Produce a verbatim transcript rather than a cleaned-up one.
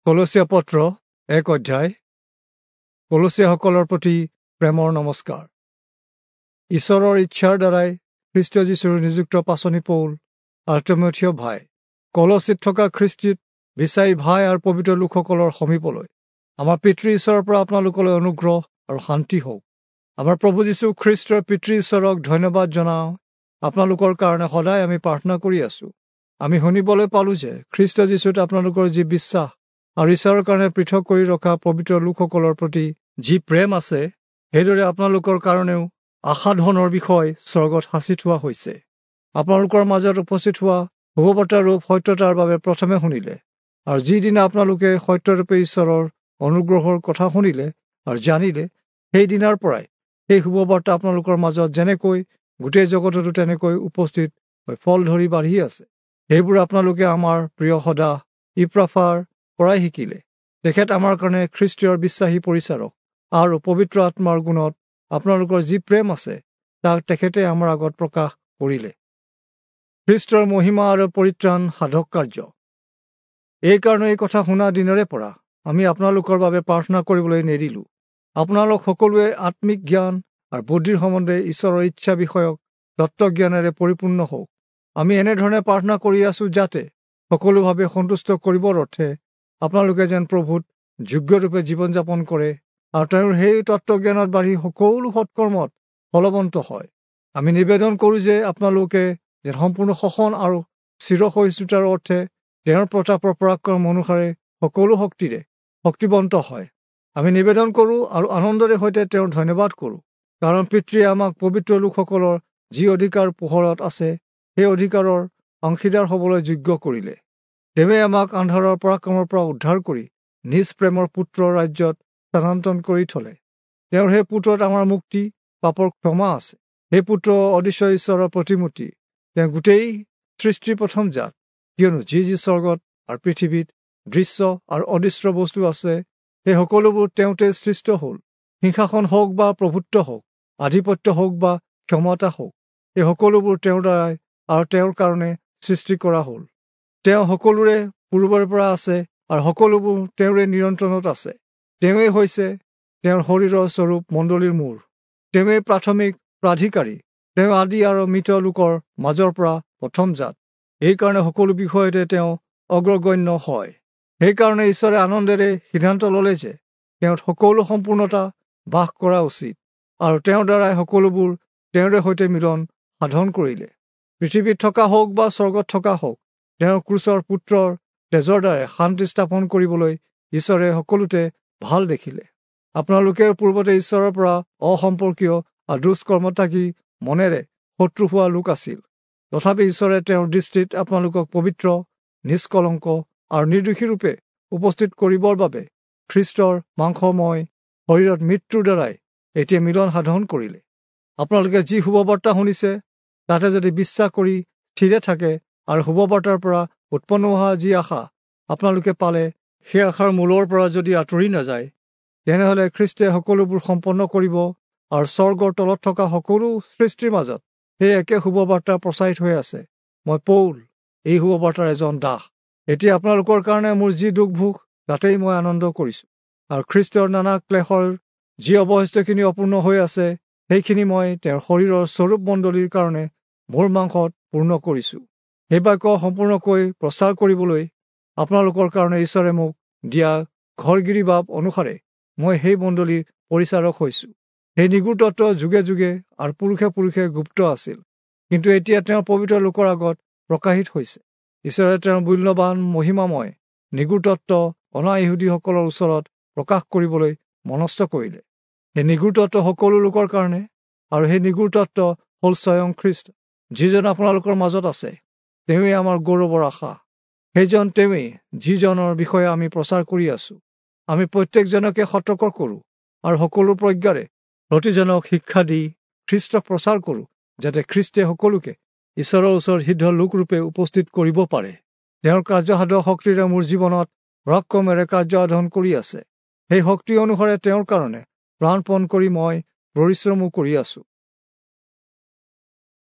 কলচীয়া পত্ৰ এক অধ্যায়। কলচীয়াসকলৰ প্ৰতি প্ৰেমৰ নমস্কাৰ। ঈশ্বৰৰ ইচ্ছাৰ দ্বাৰাই খ্ৰীষ্ট যীশুৰ নিযুক্ত পাচনি পৌল আৰু তীমথিয় ভাই, কলচীত থকা খ্ৰীষ্টিত বিচাৰি ভাই আৰু পবিত্ৰ লোকসকলৰ সমীপলৈ আমাৰ পিতৃ ঈশ্বৰৰ পৰা আপোনালোকলৈ অনুগ্ৰহ আৰু শান্তি হওক। আমাৰ প্ৰভু যীশু খ্ৰীষ্টৰ পিতৃ ঈশ্বৰক ধন্যবাদ জনাওঁ। আপোনালোকৰ কাৰণে সদায় আমি প্ৰাৰ্থনা কৰি আছোঁ। আমি শুনিবলৈ পালোঁ যে খ্ৰীষ্ট যীশুত আপোনালোকৰ যি বিশ্বাস আৰু ঈশ্বৰৰ কাৰণে পৃথক কৰি ৰখা পবিত্ৰ লোকসকলৰ প্ৰতি যি প্ৰেম আছে, সেইদৰে আপোনালোকৰ কাৰণেও আশাধনৰ বিষয় স্বৰ্গত সাঁচি থোৱা হৈছে। আপোনালোকৰ মাজত উপস্থিত হোৱা শুভবাৰ্তাৰ ৰূপ সত্যতাৰ বাবে প্ৰথমে শুনিলে, আৰু যিদিনা আপোনালোকে সত্যৰূপে ঈশ্বৰৰ অনুগ্ৰহৰ কথা শুনিলে আৰু জানিলে, সেইদিনাৰ পৰাই সেই শুভবাৰ্তা আপোনালোকৰ মাজত যেনেকৈ গোটেই জগততো তেনেকৈ উপস্থিত হৈ ফল ধৰি বাঢ়ি আছে। সেইবোৰ আপোনালোকে আমাৰ প্ৰিয় সদা ইপ্ৰাফাৰ পৰাই শিকিলে। তেখেত আমাৰ কাৰণে খ্ৰীষ্টীয়ৰ বিশ্বাসী পৰিচাৰক, আৰু পবিত্ৰ আত্মাৰ গুণত আপোনালোকৰ যি প্ৰেম আছে তাক তেখেতে আমাৰ আগত প্ৰকাশ কৰিলে। খ্ৰীষ্টৰ মহিমা আৰু পৰিত্ৰাণ সাধক কাৰ্য। এইকাৰণে এই কথা শুনা দিনৰে পৰা আমি আপোনালোকৰ বাবে প্ৰাৰ্থনা কৰিবলৈ নেৰিলোঁ। আপোনালোক সকলোৱে আত্মিক জ্ঞান আৰু বুদ্ধিৰ সম্বন্ধে ঈশ্বৰৰ ইচ্ছা বিষয়ক তত্ত্বজ্ঞানেৰে পৰিপূৰ্ণ হওক। আমি এনেধৰণে প্ৰাৰ্থনা কৰি আছোঁ যাতে সকলোভাৱে সন্তুষ্ট কৰিবৰ অৰ্থে আপোনালোকে যেন প্ৰভুত যোগ্যৰূপে জীৱন যাপন কৰে আৰু তেওঁৰ সেই তত্ত্বজ্ঞানত বাঢ়ি সকলো সৎকৰ্মত ফলৱন্ত হয়। আমি নিবেদন কৰোঁ যে আপোনালোকে যেন সম্পূৰ্ণ শোষণ আৰু চিৰসহিষ্ণুতাৰ অৰ্থে তেওঁৰ প্ৰতাপৰ পৰাক্ৰম অনুসাৰে সকলো শক্তিৰে শক্তিবন্ত হয়। আমি নিবেদন কৰোঁ আৰু আনন্দৰে সৈতে তেওঁৰ ধন্যবাদ কৰোঁ, কাৰণ পিতৃয়ে আমাক পবিত্ৰ লোকসকলৰ যি অধিকাৰ পোহৰত আছে সেই অধিকাৰৰ অংশীদাৰ হ'বলৈ যোগ্য কৰিলে। তেওঁৱে আমাক আন্ধাৰৰ পৰাক্ৰমৰ পৰা উদ্ধাৰ কৰি নিজ প্ৰেমৰ পুত্ৰৰ ৰাজ্যত স্থানান্তৰ কৰি থলে। তেওঁৰ সেই পুত্ৰত আমাৰ মুক্তি, পাপৰ ক্ষমা আছে। সেই পুত্ৰ অদৃশ্য ঈশ্বৰৰ প্ৰতিমূৰ্তি, তেওঁ গোটেই সৃষ্টিৰ প্ৰথম জাত। কিয়নো যি যি স্বৰ্গত আৰু পৃথিৱীত দৃশ্য আৰু অদৃশ্য বস্তু আছে, সেই সকলোবোৰ তেওঁতে সৃষ্ট হ'ল। সিংহাসন হওক বা প্ৰভুত্ব হওক, আধিপত্য হওক বা ক্ষমতা হওক, এই সকলোবোৰ তেওঁৰ দ্বাৰাই আৰু তেওঁৰ কাৰণে সৃষ্টি কৰা হ'ল। তেওঁ সকলোৰে পূৰ্বৰে পৰা আছে আৰু সকলোবোৰ তেওঁৰে নিয়ন্ত্ৰণত আছে। তেওঁৱেই হৈছে তেওঁৰ শৰীৰৰ স্বৰূপ মণ্ডলীৰ মূৰ। তেওঁৱেই প্ৰাথমিক প্ৰাধিকাৰী। তেওঁ আদি আৰু মৃত লোকৰ মাজৰ পৰা প্ৰথম জাত। এইকাৰণে সকলো বিষয়তে তেওঁ অগ্ৰগণ্য হয়। সেইকাৰণে ঈশ্বৰে আনন্দেৰে সিদ্ধান্ত ল'লে যে তেওঁত সকলো সম্পূৰ্ণতা বাস কৰা উচিত, আৰু তেওঁৰ দ্বাৰাই সকলোবোৰ তেওঁৰে সৈতে মিলন সাধন কৰিলে। পৃথিৱীত থকা হওক বা স্বৰ্গত থকা হওক, তেওঁৰ ক্ৰুচৰ পুত্ৰৰ তেজৰ দ্বাৰাই শান্তি স্থাপন কৰিবলৈ ঈশ্বৰে সকলোতে ভাল দেখিলে। আপোনালোকে পূৰ্বতে ঈশ্বৰৰ পৰা অসম্পৰ্কীয় আৰু দুষ্কৰ্মত্যাগী মনেৰে শত্ৰু হোৱা লোক আছিল। তথাপি ঈশ্বৰে তেওঁৰ দৃষ্টিত আপোনালোকক পবিত্ৰ, নিষ্কলংক আৰু নিৰ্দোষীৰূপে উপস্থিত কৰিবৰ বাবে খ্ৰীষ্টৰ মাংসময় শৰীৰত মৃত্যুৰ দ্বাৰাই এতিয়া মিলন সাধন কৰিলে। আপোনালোকে যি শুভবাৰ্তা শুনিছে তাতে যদি বিশ্বাস কৰি স্থিৰে থাকে আৰু শুভবাৰ্তাৰ পৰা উৎপন্ন হোৱা যি আশা আপোনালোকে পালে সেই আশাৰ মূলৰ পৰা যদি আঁতৰি নাযায়, তেনেহ'লে খ্ৰীষ্টে সকলোবোৰ সম্পন্ন কৰিব আৰু স্বৰ্গৰ তলত থকা সকলো সৃষ্টিৰ মাজত সেই একে শুভবাৰ্তা প্ৰচাৰিত হৈ আছে। মই পৌল, এই শুভবাৰ্তাৰ এজন দাস। এতিয়া আপোনালোকৰ কাৰণে মোৰ যি দুখ ভোগ তাতেই মই আনন্দ কৰিছোঁ, আৰু খ্ৰীষ্টৰ নানা ক্লেশৰ যি অৱশিষ্টখিনি অপূৰ্ণ হৈ আছে সেইখিনি মই তেওঁৰ শৰীৰৰ স্বৰূপ মণ্ডলীৰ কাৰণে মোৰ মাংসত পূৰ্ণ কৰিছোঁ। সেই বাক্য সম্পূৰ্ণকৈ প্ৰচাৰ কৰিবলৈ আপোনালোকৰ কাৰণে ঈশ্বৰে মোক দিয়া ঘৰগিৰি বাপ অনুসাৰে মই সেই মণ্ডলীৰ পৰিচাৰক হৈছোঁ। সেই নিগূঢ় তত্ত্ব যুগে যুগে আৰু পুৰুষে পুৰুষে গুপ্ত আছিল, কিন্তু এতিয়া তেওঁৰ পবিত্ৰ লোকৰ আগত প্ৰকাশিত হৈছে। ঈশ্বৰে তেওঁৰ মূল্যৱান মহিমাময় নিগূঢ় তত্ত্ব অনা ইহুদীসকলৰ ওচৰত প্ৰকাশ কৰিবলৈ মনস্থ কৰিলে। সেই নিগূঢ় তত্ত্ব সকলো লোকৰ কাৰণে, আৰু সেই নিগূঢ় তত্ত্ব হ'ল স্বয়ং খ্ৰীষ্ট, যিজন আপোনালোকৰ মাজত আছে। তেওঁৱেই আমাৰ গৌৰৱৰ আশা। সেইজন তেওঁৱেই যিজনৰ বিষয়ে আমি প্ৰচাৰ কৰি আছোঁ। আমি প্ৰত্যেকজনকে সতৰ্ক কৰোঁ আৰু সকলো প্ৰজ্ঞাৰে প্ৰতিজনক শিক্ষা দি খ্ৰীষ্টক প্ৰচাৰ কৰোঁ, যাতে খ্ৰীষ্টে সকলোকে ঈশ্বৰৰ ওচৰত সিদ্ধ লোকৰূপে উপস্থিত কৰিব পাৰে। তেওঁৰ কাৰ্যসাধক শক্তিৰে মোৰ জীৱনত পৰাক্ৰমেৰে কাৰ্য সাধন কৰি আছে। সেই শক্তি অনুসাৰে তেওঁৰ কাৰণে প্ৰাণপণ কৰি মই পৰিশ্ৰমো কৰি আছোঁ।